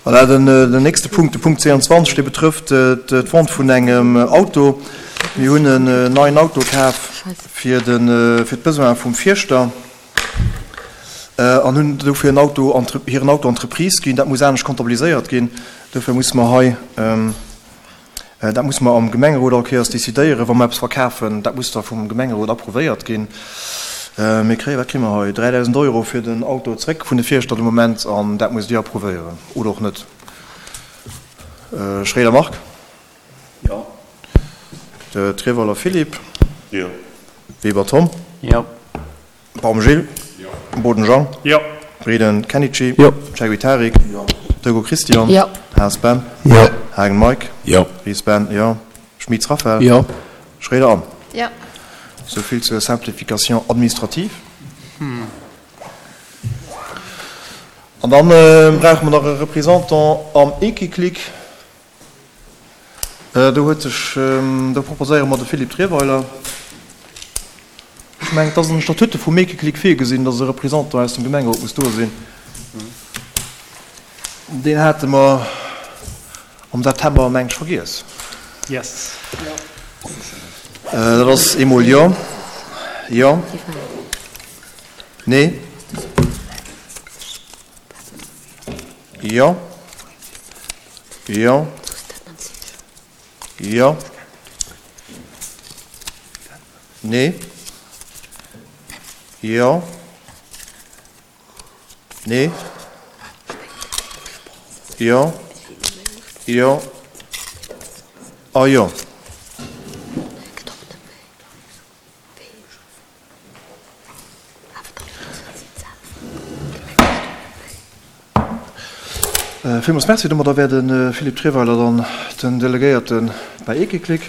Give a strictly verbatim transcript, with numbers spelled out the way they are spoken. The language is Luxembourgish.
Voilà, den, den nächste Punkt, de Punkt zwéianzwanzeg, dee betrëfft d'Vente vun engem Auto. Mir hunn en neien Auto kaf fir de, fir d'Besoin vum Fierschter an hunn dofir en Auto, hiren Auto Entreprise ginn. Dat muss anescht comptabiliséiert ginn. Dofir musse mer hei, dat musse mer am Gemengerot all Kéiers decidéieren, wa mer eppes verkafen. Dat muss da vum Gemengerot approuvéiert ginn. Mir kréien, wat kréie mer hei, dräidausend Euro fir den Auto zréck vun de Fierschter de Moment an dat musst Dir approuvéieren oder och net. Schréider Marc? Jo. Treweiler Philippe? Jo. Weber Tom? Jo. Baum Gilles? Jo. Boden Jean? Jo. Breden Kenichi? Jo. Cheguy Tarik? Jo. Dego Christian? Jo. Haas Ben? Jo. Haagen Mike? Jo. Ries Ben? Jo. Schmitz Raphaël? Jo. Schréider Anne? Jo. Sou vill zur Simplification administrative. An dann brauche mer nach e Représentant am Equiclic. Do huet sech, do proposéiere mer de Philippe Trierweiler. Ech mengen, et ass an de Statute vum Equiclic virgesinn, dass e Représentant aus dem Gemengerot muss do sinn. Deen hate mer am September, meng ech, vergiess. Yes. Dat ass eemol jo, jo, nee, jo, jo, jo, nee, jo, nee, jo, jo a jo. Villmools Merci. Domadder wär de Philippe Trierweiler dann den Delegéierte bei Equiclic.